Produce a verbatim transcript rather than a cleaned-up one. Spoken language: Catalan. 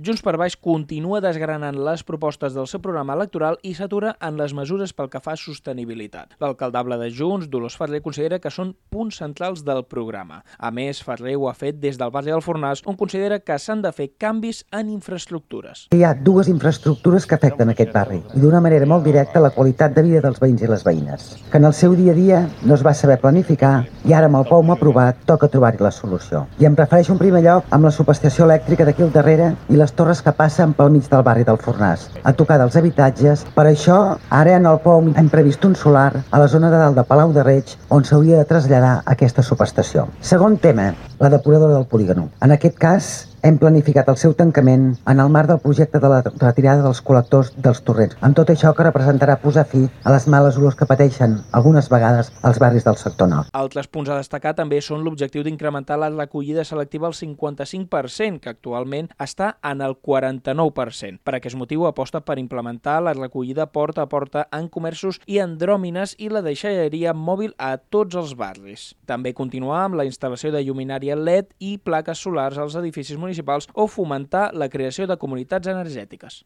Junts per Baix continua desgranant les propostes del seu programa electoral i s'atura en les mesures pel que fa a sostenibilitat. L'alcaldable de Junts, Dolors Ferrer, considera que són punts centrals del programa. A més, Ferrer ho ha fet des del barri del Fornàs, on considera que s'han de fer canvis en infraestructures. Hi ha dues infraestructures que afecten aquest barri i d'una manera molt directa la qualitat de vida dels veïns i les veïnes, que en el seu dia a dia no es va saber planificar i ara amb el P O M aprovat toca trobar-hi la solució. I em refereixo en primer lloc amb la subestació elèctrica d'aquí al darrere i les torres que passen pel mig del barri del Fornàs, a tocar dels habitatges. Per això, ara en el P O M hem previst un solar a la zona de dalt de Palau de Reig on s'hauria de traslladar aquesta subestació. Segon tema, la depuradora del polígon. En aquest cas, hem planificat el seu tancament en el marc del projecte de la retirada dels col·lectors dels torrents, amb tot això que representarà posar fi a les males olors que pateixen algunes vegades als barris del sector nord. Altres punts a destacar també són l'objectiu d'incrementar la recollida selectiva al cinquanta-cinc per cent, que actualment està en el quaranta-nou per cent. Per aquest motiu aposta per implementar la recollida porta a porta en comerços i andròmines i la deixalleria mòbil a tots els barris. També continuar amb la instal·lació de lluminària L E D i plaques solars als edificis municipals o fomentar la creació de comunitats energètiques.